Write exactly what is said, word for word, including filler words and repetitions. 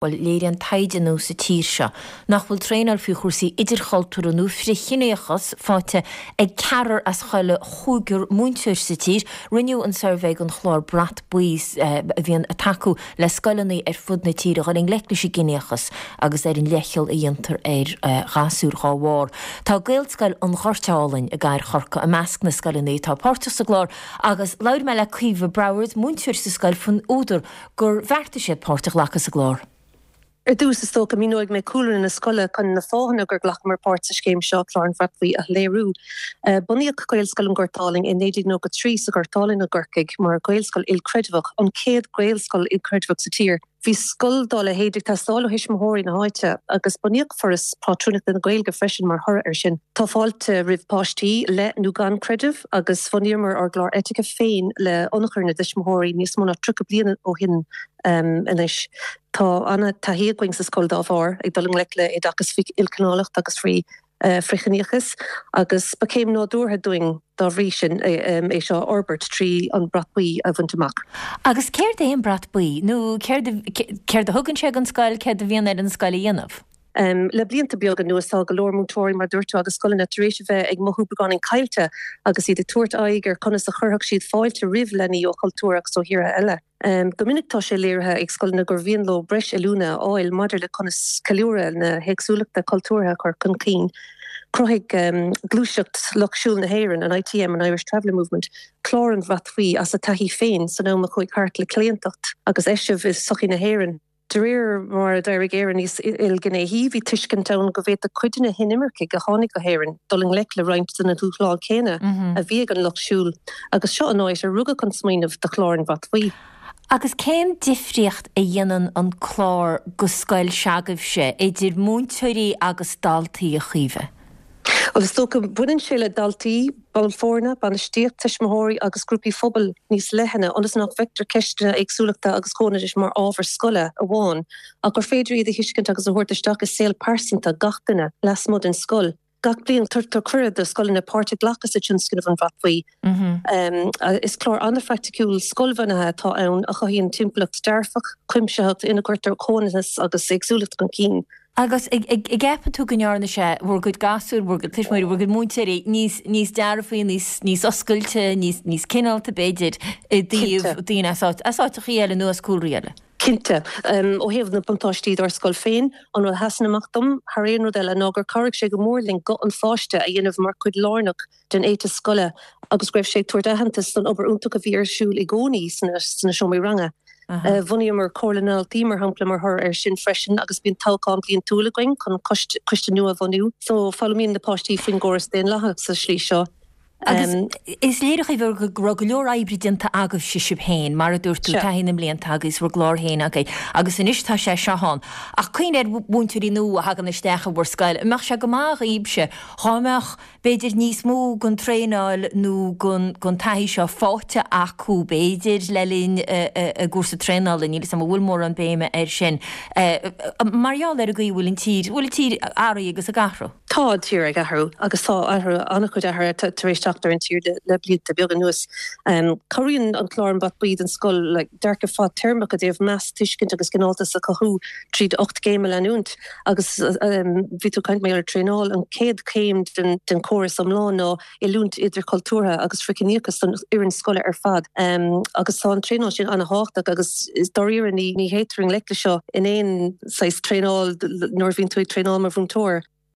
Bhuel, léiríonn taighde nua sa tír seo nach bhfuil traenáil faoi chúrsaí idirchultúrtha nó frithchiníochas faighte ag ceathrar as chuile chúigear múinteoir sa tír. Rinneadh an suirbhé don chlár Brat Buí a bhíonn ag tacú le scoileanna ar fud na tíre dhul i ngleic leis an gciníochas agus ar an leithcheal a dhéantar ar ghasúir dhá bharr. Tá Gaelscoil an Ghoirt Álainn i gCathair Chorcaí i measc na scoileanna atá páirteach sa gclár agus labhair mé le Caoimhe Browers, múinteoir sa scoil faoin údar gur bheartaigh siad páirt a ghlacadh sa gclár. Ar dtús is dócha míneoidh mé cúlra na scoile chun na fáthanna gur ghlacamar páirt sa scéim seo Clár an Bhrait Bhuí a léiriú. Bunaíodh Gaelscoil an Ghoirt Álainn i naoi déag nócha trí sa Ghort Álainn i gCorcaigh mar Ghaelscoil ilchreidmheach, an chéad Ghaelscoil ilchreidmheach sa tír. Bhí scoil dá leithéid ag teastáil ó thuismitheoirí na háite agus bunaíodh Foras Pátrúnachta na Gaeilge freisin mar thoradh air sin. Tá fáilte roimh páistí le nó gan creideamh agus bhunaíomar ár gclár eitice féin le hionchur na dtuismitheoirí níos mó ná tríocha bliain ó shin anois. Tá an-taithí againn sa scoil dá bharr ag dul i ngleic le oideachas faoi ilchineálacht agus faoi frithchiníochas agus ba chéim nádúrtha dúinn dá bhrí sin é seo a fhorbairt trí an Brat Buí a bhaint amach. Agus céard é an Brat Buí? Nó céard céard a thugann sé don scoil, céard a bhíonn ar an scoil a dhéanamh? Le blianta beaga anuas tá go leor múinteoirí mar dúirt tú agus scoileanna tar éis a bheith ag mothú beagáinín caillte agus iad ag tabhairt aghaidh ar conas a chuirfeadh siad fáilte roimh leanaí ó chultúir agus ó thíortha eile. Go minic tá sé léirithe ag scoileanna gur mhian leo breis oiliúna a fháil maidir le conas ceiliúradh na héagsúlachta cultúrtha a chur chun cinn. Chruthaigh Gluaiseacht Lucht Siúil na hÉireann, an ITM, an Irish Traveller Movement, clár an Bhrait Bhuí as a taithí féin san am a chuaigh thart le claontacht agus eisiamh i sochaí na hÉireann. De réir mar a d'éirigh Éire níos ilghnéithí, bhí tuiscint ann go bhféadfadh cuid de na hinimircigh a tháinig go hÉirinn dul i ngleic le roinnt de na dúshláin chéanna a bhí ag an lucht siúil, agus seo an áit a rugadh an smaoineamh do chlár an Bhrait Bhuí. Agus cén difríocht a dhéanann an clár go scoil se'agaibhse, idir múinteoirí agus daltaí, a Chaoimhe? Bhuel, is dócha, baineann sé le daltaí, baill foirne, bainistíocht, tuismitheoirí agus grúpaí phobail níos leithne, ionas nach bhfeictear ceisteanna éagsúlachta agus comhionannais mar ábhar scoile amháin, ach gur féidir iad a thuiscint agus a thabhairt isteach i saol pearsanta gach duine lasmuigh den scoil. Gach bliain tugtar cuireadh do scoileanna páirt a ghlacadh sa tionscnamh An Brat Buí. Is clár an-phraiticiúil scoilbhunaithe atá ann a chothaíonn timpeallacht dearfach, cuimsitheach ina gcuirtear comhionannas agus éagsúlacht chun cinn. Agus an gceapann tú go ndearna sé bhur gcuid gasúr, bhur gcuid tuismitheoirí, bhur gcuid múinteoirí níos níos dearfaí, níos níos oscailte, níos níos cineálta b'fhéidir i dtaobh daoine as áit as áiteachaí eile nó as cúlraí eile? Cinnte. Ó thaobh na buntáistí dár scoil féin, an rud a sheasann amach dom thar aon rud eile ná gur chabhraigh sé go mór linn guth an pháiste a dhéanamh mar chuid lárnach den éiteas scoile agus go raibh sé ag tabhairt aitheantas don obair iontach a bhí ar siúl i gcónaí sna sna seomraí ranga. Bhunaíomar Comhairle na nDaltaí, mar shampla, mar thoradh air sin freisin agus bíonn toghchán bliantúil againn chun coiste nua a bhunú. So, foghlaimíonn na páistí faoin gcóras daonlathach sa slí seo. Agus is léir, a Chaoimhe, go raibh go leor oibre déanta agaibhse sibh féin, mar a dúirt tú, taithí na mblianta agaibh is bhur gclár féin agaibh agus anois tá sé seo ann. Ach cuimhnigh ar mhúinteoirí nua a thagann isteach i bhur scoil, an mbeadh sé go maith dhaoibhse dhá mbeadh b'fhéidir níos mó den traenáil nó den taithí seo faighte acu, b'fhéidir, le linn a gcúrsa traenála, níl 'fhios a'm an bhfuil mórán béime air sin, mar gheall ar an gcaoi a bhfuil an tír, bhfuil an tír athraithe agus ag athrú. Tá an tír ag athrú agus tá athrú, an-chuid athruithe tar éis teacht ar an tír le blianta beaga anuas. Cabhraíonn an clár An Brat Buí don scoil le dearcadh fadtéarmach i dtaobh meas, tuiscint agus cineáltas a chothú tríd ocht gcéim a leanúint. Agus bhí tú ag caint mar gheall ar traenáil, an chéad chéim den chóras iomlán ná oiliúint idirchultúrtha agus frithchiníochas don fhoireann scoile ar fad. Agus tá an traenáil sin an-thábhachtach agus dáiríre ní théitear i ngleic le seo in aon saghas traenáil nuair a bhíonn tú ag traenáil mar mhúinteoir.